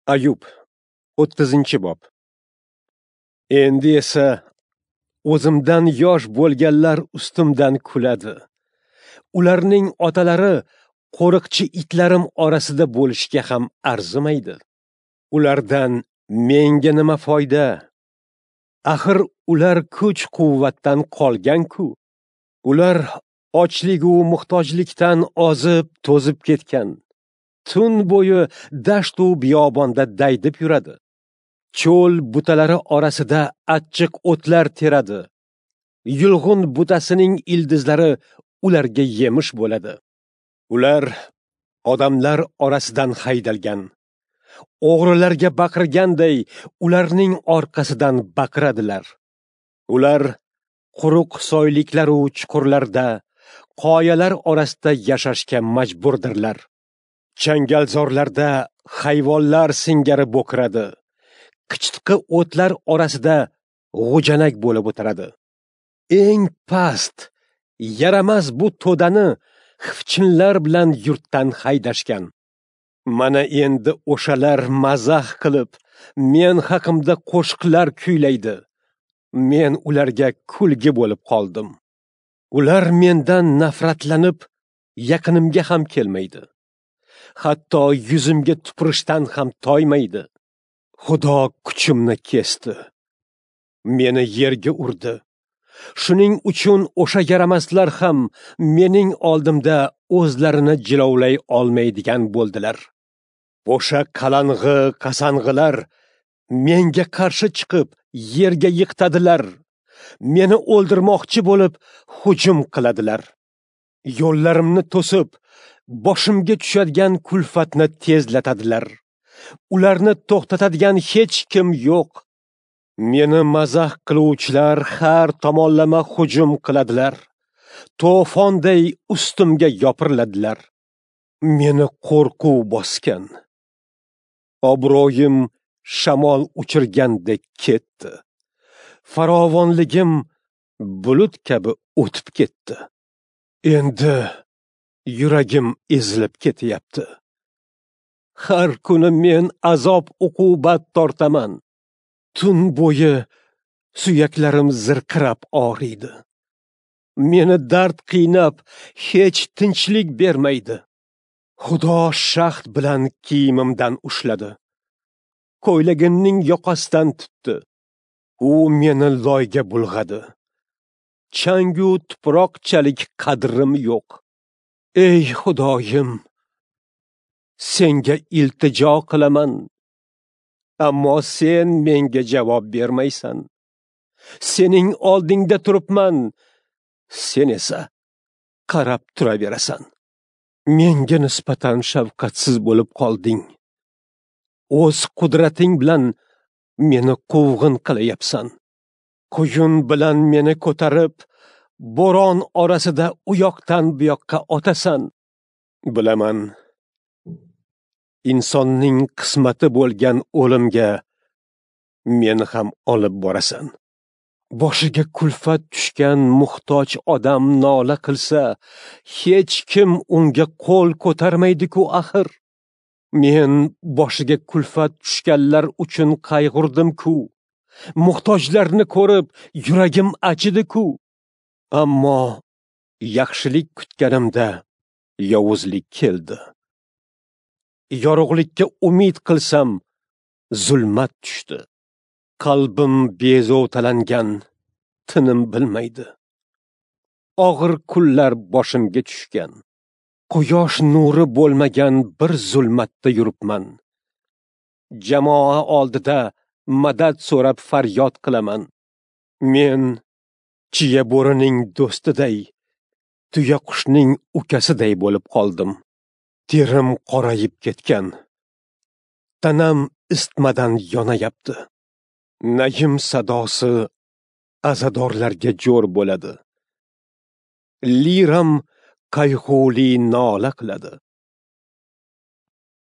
Ayub, 30-bob. Endi esa o'zimdan yosh bo'lganlar ustimdan kuladi. Ularning otalari qo'riqchi itlarim orasida bo'lishga ham arzimaydi. Ulardan menga nima foyda? Axir ular kuch-quvvatdan qolgan-ku. Ular ochlik u muhtojlikdan ozib, to'zib ketgan. Tun bo'yi dasht u biyobonda daydib yuradi. Cho'l butalari orasida achchiq o'tlar teradi. Yulg'un butasining ildizlari ularga yemish bo'ladi. Ular odamlar orasidan haydalgan. O'g'rilarga baqirganday ularning orqasidan baqiradilar. Ular quruq soyliklar u chuqurlarda, qoyalar orasida yashashga majburdirlar. Changalzorlarda hayvonlar singari bo'kiradi. Qichitqi o'tlar orasida g'ujanak bo'lib o'tiradi. Eng past, yaramas bu to'dani xivchinlar bilan yurtdan haydashgan. Mana endi o'shalar mazax qilib, men haqimda qo'shiqlar kuylaydi. Men ularga kulgi bo'lib qoldim. Ular mendan nafratlanib, yaqinimga ham kelmaydi. Hatto yuzimga tupurishdan ham toymaydi. Xudo kuchimni kesdi. Meni yerga urdi. Shuning uchun o'sha yaramaslar ham mening oldimda o'zlarini jilovlay olmaydigan bo'ldilar. O'sha qalang'i qasang'ilar menga qarshi chiqib yerga yiqitadilar. Meni o'ldirmoqchi bo'lib hujum qiladilar. Yo'llarimni to'sib, boshimga tushadigan kulfatni tezlatadilar. Ularni to'xtatadigan hech kim yo'q. Meni mazax qiluvchilar har tomonlama hujum qiladilar. To'fonday ustimga yopiriladilar. Meni qo'rquv bosgan. Obro'yim shamol uchirgandek ketdi. Farovonligim bulut kabi o'tib ketdi. Endi yuragim ezilib ketyapti. Har kuni men azob uqubat tortaman. Tun bo'yi suyaklarim zirqirab og'riydi. Meni dard qiynab, hech tinchlik bermaydi. Xudo shaxt bilan kiyimimdan ushladi. Ko'ylagimning yoqasidan tutdi. U meni loyga bulg'adi. Changu tuproqchalik qadrim yo'q. Ey Xudoyim, senga iltijo qilaman. Ammo sen menga javob bermaysan. Sening oldingda turibman, sen esa qarab turaverasan. Menga nisbatan shafqatsiz bo'lib qolding. O'z qudrating bilan meni quvg'in qilayapsan. Quyun bilan meni ko'tarib, bo'ron orasida u yoqdan bu yoqqa otasan. Bilaman, insonning qismati bo'lgan o'limga meni ham olib borasan. Boshiga kulfat tushgan muhtoj odam nola qilsa, hech kim unga qo'l ko'tarmaydi-ku axir. Men boshiga kulfat tushganlar uchun qayg'urdim-ku. Muhtojlarni ko'rib yuragim achidi-ku. Ammo yaxshilik kutganimda yovuzlik keldi. Yorug'likka umid qilsam, zulmat tushdi. Qalbim bezovtalangan, tinim bilmaydi. Og'ir kunlar boshimga tushgan. Quyosh nuri bo'lmagan bir zulmatda yuribman. Jamoa oldida madad so'rab faryod qilaman. Men chiya bo'rining do'stiday, tuya qushning ukasiday bo'lib qoldim. Terim qorayib ketgan. Tanam isitmadan yonayapti. Nayim sadosi azadorlarga jo'r bo'ladi. Liram qayg'uli nola qiladi.